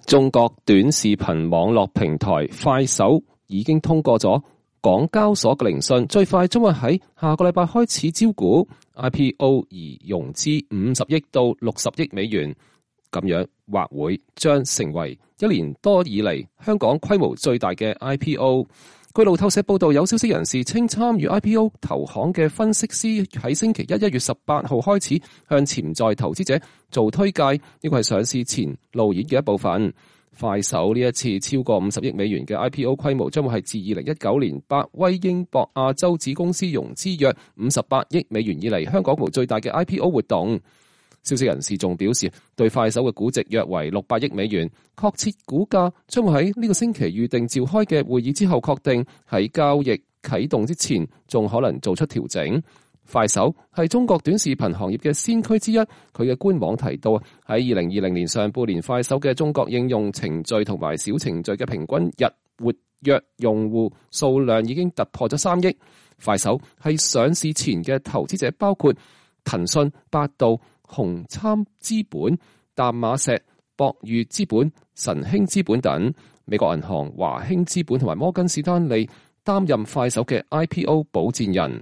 中國短視頻網絡平台快手已經通過咗港交所嘅聆訊，最快將會喺下個禮拜開始招股 IPO 而融資50億到60億美元，咁樣或會將成為1年多以嚟香港規模最大嘅 IPO。據路透社報道，有消息人士稱，參與 IPO 投行嘅分析師喺星期1月18號開始向潛在投資者做推介，呢個係上市前路演嘅一部分。快手呢一次超過50億美元嘅 IPO 規模，將會係自2019年百威英博亞洲子公司融資約58億美元以嚟香港規模最大嘅 IPO 活動。消息人士仲表示，對快手嘅估值約為600億美元，確切股價將會喺呢個星期預定召開嘅會議之後確定，喺交易啟動之前仲可能做出調整。快手係中國短視頻行業嘅先驅之一，佢嘅官網提到喺2020年上半年，快手嘅中國應用程序同埋小程序嘅平均日活躍用戶數量已經突破咗3億。快手係上市前嘅投資者包括騰訊、百度、紅杉資本、淡馬錫、博裕資本、晨興資本等。美國銀行、華興資本同埋摩根士丹利擔任快手嘅 IPO 保薦人。